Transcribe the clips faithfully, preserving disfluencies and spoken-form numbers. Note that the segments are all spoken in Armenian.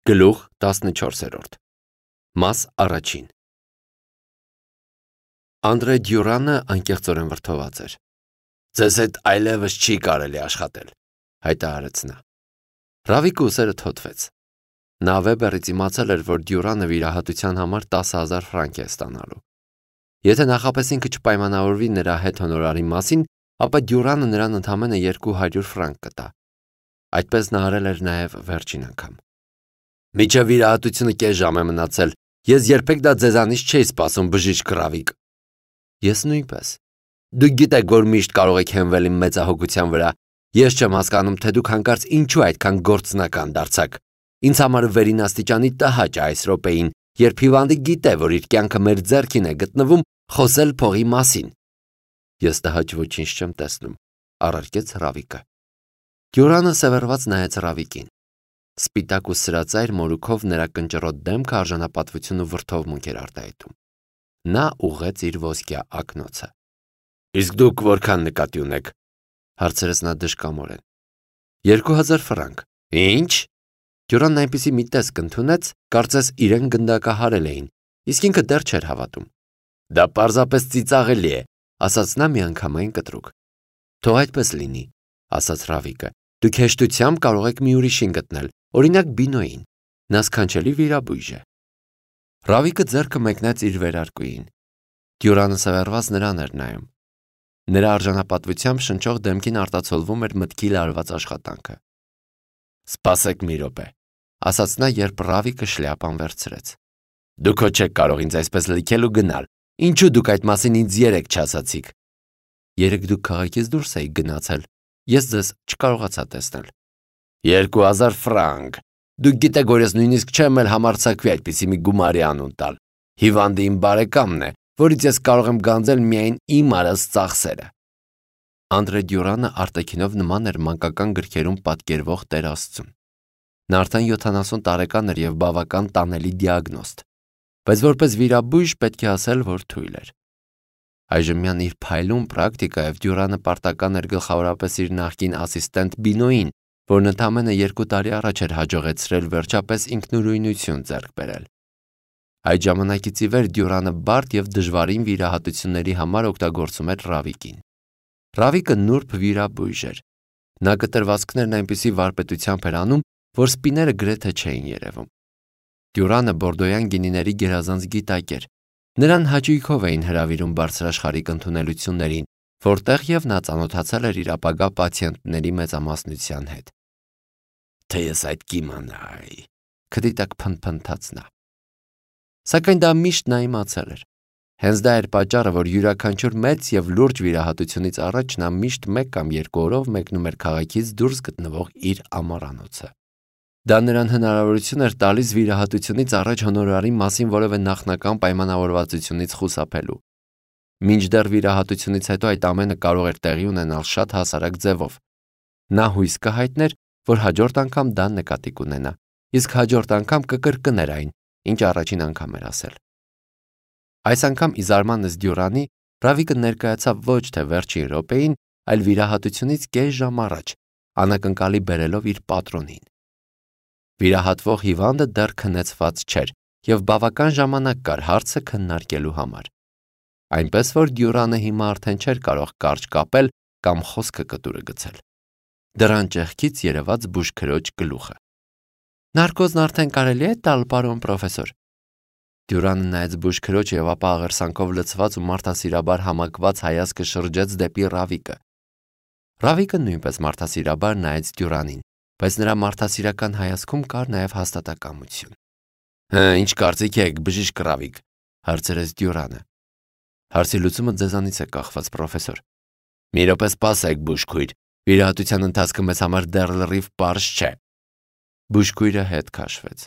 Գլուխ տասնչորսերորդ Մաս առաջին Անդրե Դյուրանը անկեղծորեն վրդոված էր։ «Ձեզ հետ այլևս չի կարելի աշխատել», հայտարարեց նա։ Ռավիկը ուսերը թոթվեց։ Նա Վեբերից իմացել էր, որ Դյուրանը վիրահատության համար տասը հազար ֆրանկ է ստանալու։ Եթե նախապես ինքը չպայմանավորվի նրա հետ հոնորարի մասին, ապա Դյուրանը նրան ընդամենը երկու հարյուր ֆրանկ կտա։ Այդպես նա արել էր նաև վերջին անգամ։ «Մինչև վիրահատությունը կես ժամ է մնացել, ես երբեք դա ձեզանից չէի սպասում, բժիշկ Ռավիկ»։ Ես նույնպես։ Դուք գիտեք, որ միշտ կարող եք հենվել իմ մեծահոգության վրա։ Ես չեմ հասկանում, թե դուք հանկարծ ինչու այդքան գործնական դարձաք։ Ինձ համար վերին աստիճանի տհաճ է այս րոպեին, երբ հիվանդը գիտե, որ իր կյանքը մեր ձեռքին է գտնվում, խոսել փողի մասին։ Ես տհաճ ոչինչ չեմ տեսնում, առարկեց Ռավիկը։ Դյուրանը սևեռված նայեց Ռավիկին։ Սպիտակ ու սրածայր մորուքով նրա կնճռոտ դեմքը արժանապատվություն ու վրդովմունք էր արտահայտում։ Նա ուղղեց իր ոսկյա ակնոցը։ «Իսկ դուք որքան նկատի ունեք», հարցրեց նա դժկամորեն։ «Երկու հազար ֆրանկ»։ «Ինչ»։ Դյուրանն այնպիսի մի տեսք ընդունեց, կարծես իրեն գնդակահարել էին, իսկ ինքը դեռ չէր հավատում։ «Դա պարզապես ծիծաղելի է», ասաց նա միանգամայն կտրուկ։ «Թող այդպես լինի», ասաց Ռավիկը։ «Դուք հեշտությամբ կարող եք մի ուրիշին գտնել, օրինակ Բինոյին։ Նա սքանչելի վիրաբույժ է»։ Ռավիկը ձեռքը մեկնեց իր վերարկուին։ Դյուրանը սևեռված նրան էր նայում։ Նրա արժանապատվությամբ շնչող դեմքին արտացոլվում էր մտքի լարված աշխատանքը։ «Սպասեք մի րոպե», ասաց նա, երբ Ռավիկը շլյապան վերցրեց։ «Դուք հո չեք կարող ինձ այսպես լքել ու գնալ։ Ինչու դուք այդ մասին ինձ երեկ չասացիք»։ Երեկ դուք քաղաքից դուրս էիք գնացել։ Ես ձեզ չկարողացա տեսնել։ «Երկու հազար ֆրանկ։ Դուք գիտեք, որ ես նույնիսկ չեմ էլ համարձակվի այդպիսի մի գումարի անուն տալ։ Հիվանդը իմ բարեկամն է, որից ես կարող եմ գանձել միայն իմ արած ծախսերը»։ Անդրե Դյուրանը արտաքինով նման էր մանկական գրքերում պատկերվող Տեր Աստծուն։ Նա արդեն յոթանասուն տարեկան էր եւ բավական տանելի դիագնոստ, բայց որպես վիրաբույժ պետք է ասել, որ թույլ էր։ Այժմյան իր փայլուն պրակտիկայով Դյուրանը պարտական էր գլխավորապես իր նախկին ասիստենտ Բինոյին, որն ընդամենը երկու տարի առաջ էր հաջողեցրել վերջապես ինքնուրույնություն ձեռք բերել։ Այդ ժամանակից ի վեր Դյուրանը բարդ եւ դժվարին վիրահատությունների համար օգտագործում էր Ռավիկին։ Ռավիկը նուրբ վիրաբույժ էր։ Նա կտրվածքներն այնպիսի վարպետությամբ էր անում, որ սպիները գրեթե չէին երևում։ Դյուրանը բորդոյան գինիների գերազանց գիտակ էր։ Նրան հաճույքով էին հրավիրում բարձրաշխարհիկ ընդունելություններին, որտեղ եւ նա ծանոթացել էր իր ապագա պացիենտների մեծամասնության հետ։ «Թե ես այդ կիմանայի», քդիտակ փնփնթաց նա։ Սակայն դա միշտ նա իմացել էր։ Հենց դա էր պատճառը, որ յուրաքանչյուր մեծ եւ լուրջ վիրահատությունից առաջ նա միշտ մեկ կամ երկու օրով մեկնում էր քաղաքից դուրս գտնվող իր ամառանոցը։ Դա նրան հնարավորություն էր տալիս վիրահատությունից առաջ հոնորարի մասին որևէ նախնական պայմանավորվածությունից խուսափելու։ Մինչդեռ վիրահատությունից հետո այդ ամենը կարող էր տեղի ունենալ շատ հասարակ ձևով։ Նա հույս կհայտներ, որ հաջորդ անգամ դա նկատի կունենա, իսկ հաջորդ անգամ կկրկներ այն, ինչ առաջին անգամ էր ասել։ Այս անգամ ի զարմանս Դյուրանի, Ռավիկը ներկայացավ ոչ թե վերջին րոպեին, այլ վիրահատությունից կես ժամ առաջ, անակնկալի բերելով իր պատրոնին։ Վիրահատվող հիվանդը դեռ քնեցված չէր եւ բավական ժամանակ կար հարցը քննարկելու համար։ Այնպես որ Դյուրանը հիմա արդեն չէր կարող կարճ կապել կամ խոսքը կտուրը գցել։ Դրան ճեղքից երևաց բուժքրոջ գլուխը։ «Նարկոզն արդեն կարելի է տալ, պարոն պրոֆեսոր»։ Դյուրանը նայեց բուժքրոջ եւ ապա աղերսանքով լցված ու մարդասիրաբար համակված հայացքը շրջեց դեպի Ռավիկը։ Ռավիկը նույնպես մարդասիրաբար նայեց Դյուրանին, բայց նրա մարդասիրական հայացքում կար նաև հաստատակամություն։ «Հը, ինչ կարծիք եք, բժիշկ Ռավիկ», հարցրեց Դյուրանը։ «Հարցի լուծումը ձեզանից է կախված, պրոֆեսոր»։ «Մի րոպե սպասեք, բուժքույր, վիրահատության ընթացքը մեզ համար դեռ լրիվ պարզ չէ»։ Բուժքույրը հետ քաշվեց։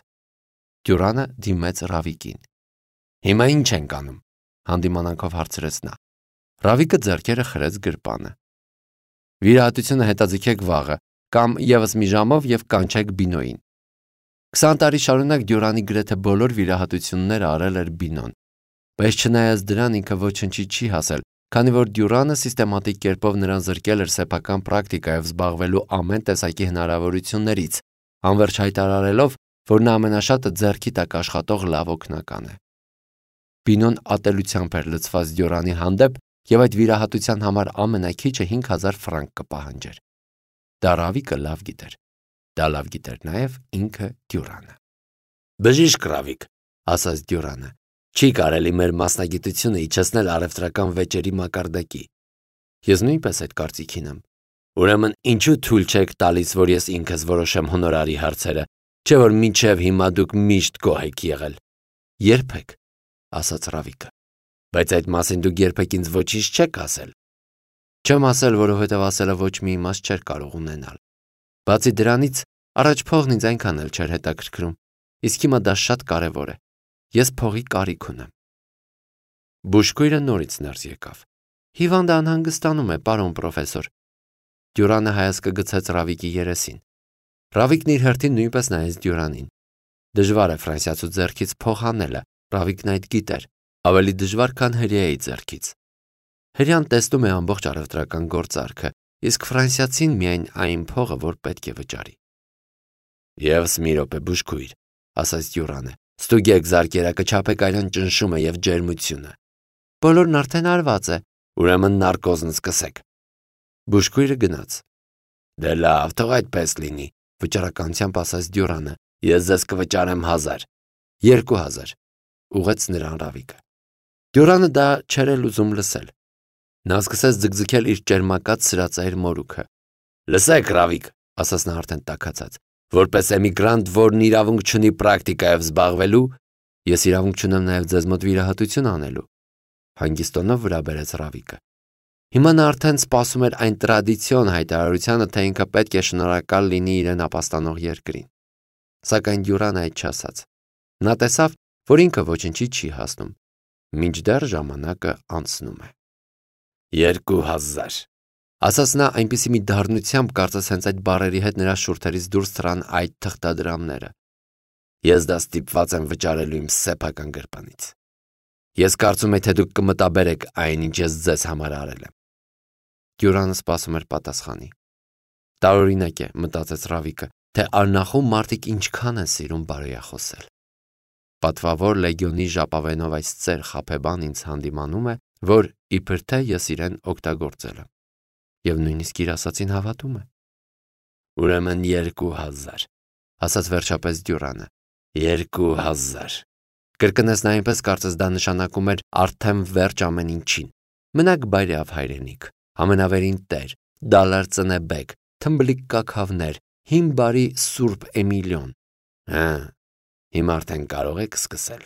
Դյուրանը դիմեց Ռավիկին։ «Հիմա ինչ ենք անում», հանդիմանանքով հարցրեց նա։ Ռավիկը ձեռքերը խրեց գրպանը։ «Վիրահատությունը հետաձգեք վաղը, կամ եւս մի ժամով եւ կանչեք Բինոյին»։ Քսան տարի շարունակ Դյուրանի գրեթե բոլոր վիրահատությունները արել էր Բինոն, բայց չնայած դրան ինքը ոչնչի չի հասել, քանի որ Դյուրանը սիստեմատիկ կերպով նրան զրկել էր սեփական պրակտիկայով զբաղվելու ամեն տեսակի հնարավորություններից, անվերջ հայտարարելով, որ նա ամենաշատը ձեռքի տակ աշխատող լավ օգնական է։ Բինոն ատելությամբ էր լցված Դյուրանի հանդեպ և այդ վիրահատության համար ամենաքիչը հինգ հազար ֆրանկ կպահանջեր։ Դա Ռավիկը լավ գիտեր։ Դա լավ գիտեր նաև ինքը Դյուրանը։ «Բժիշկ Ռավիկ», ասաց Դյուրանը, «չի կարելի մեր մասնագիտությունը իջեցնել առևտրական վեճերի մակարդակի»։ Ես նույնպես այդ կարծիքին եմ։ Ուրեմն ինչու թույլ չեք տալիս, որ ես ինքս որոշեմ հոնորարի հարցերը, չէ՞ որ մինչև հիմա դուք միշտ գոհ եք եղել։ Երբեք, ասաց Ռավիկը։ Բայց այդ մասին դուք երբեք ինձ ոչինչ չեք ասել։ Չեմ ասել, որովհետև ասելը ոչ մի իմաստ չէր կարող ունենալ։ Բացի դրանից, առաջ փողն ինձ այնքան էլ չէր հետաքրքրում, իսկ հիմա դա շատ կարևոր է։ Ես փողի կարիք ունեմ։ Բուժքույրը նորից ներս եկավ։ Հիվանդը անհանգստանում է, պարոն պրոֆեսոր։ Դյուրանը հայացքը գցեց Ռավիկի երեսին։ Ռավիկն իր հերթին նույնպես նայեց Դյուրանին։ Դժվար է ֆրանսիացու ձեռքից փող հանելը, Ռավիկն այդ գիտեր, ավելի դժվար, քան հրեայի ձեռքից։ Հրեան տեսնում է ամբողջ առևտրական գործարքը, իսկ ֆրանսիացին միայն այն փողը, որ պետք է վճարի։ Եվս մի րոպե, բուժքույր, ասաց Դյուրանը, ստուգեք զարկերակը, չափեկայլյան ճնշումը և ջերմությունը։ Բոլորն արդեն արված է, ուրեմն նարկոզն սկսեք։ Բուժքույրը գնաց։ Դե լավ, թող այդպես լինի, վճռականությամբ ասաց Դյուրանը, ես ձեզ կվճարեմ հազար։ Երկու հազար, ուղղեց նրան Ռավիկը։ Դյուրանը դա չէր էլ ուզում լսել։ Նա սկսեց ձգձգել իր ճերմակած սրածայր մորուքը։ Լսեք, Ռավիկ, ասաց նա արդեն տաքացած, որպես էմիգրանտ, որն իրավունք չունի պրակտիկայով զբաղվելու, ես իրավունք չունեմ նաև ձեզ մոտ վիրահատություն անելու։ Հանգիստ տոնով վրա բերեց Ռավիկը։ Հիմա նա արդեն սպասում էր այն տրադիցիոն հայտարարությանը, թե ինքը պետք է շնորհակալ լինի իրեն ապաստանող երկրին։ Սակայն Դյուրանը այդ չասաց։ Նա տեսավ, որ ինքը ոչինչի չի հասնում, մինչդեռ ժամանակը անցնում է։ Երկու հազար, ասաց նա այնպիսի մի դառնությամբ, կարծես հենց այդ բառերի հետ նրա շուրթերից դուրս թռան այդ թղթադրամները։ Ես դա ստիպված եմ վճարելու իմ սեփական գրպանից։ Ես կարծում եմ, թե դուք կմտաբերեք այն, ինչ ես ձեզ համար արել եմ։ Դյուրանը սպասում էր պատասխանի։ Տարօրինակ է, մտածեց Ռավիկը, թե արնախում մարդիկ ինչքան են սիրում բարոյախոսել։ Պատվավոր լեգիոնի ժապավենով այս ծեր խաբեբան ինձ հանդիմանում է, որ իբր թե ես իրեն օգտագործել եմ։ Եվ նույնիսկ իր ասածին հավատում է։ Ուրեմն երկու հազար, ասաց վերջապես Դյուրանը։ Երկու հազար։ Կրկնեց նա այնպես, կարծես դա նշանակում էր արդեն վերջ ամեն ինչին։ Մնաք բայրյավ հայրենիք, ամենավերին տեր, դալար ծնեբեկ, թմբլիկ կաքավներ, հին բարի Սուրբ Էմիլիոն։ Հա, հիմա արդեն կարող եք սկսել։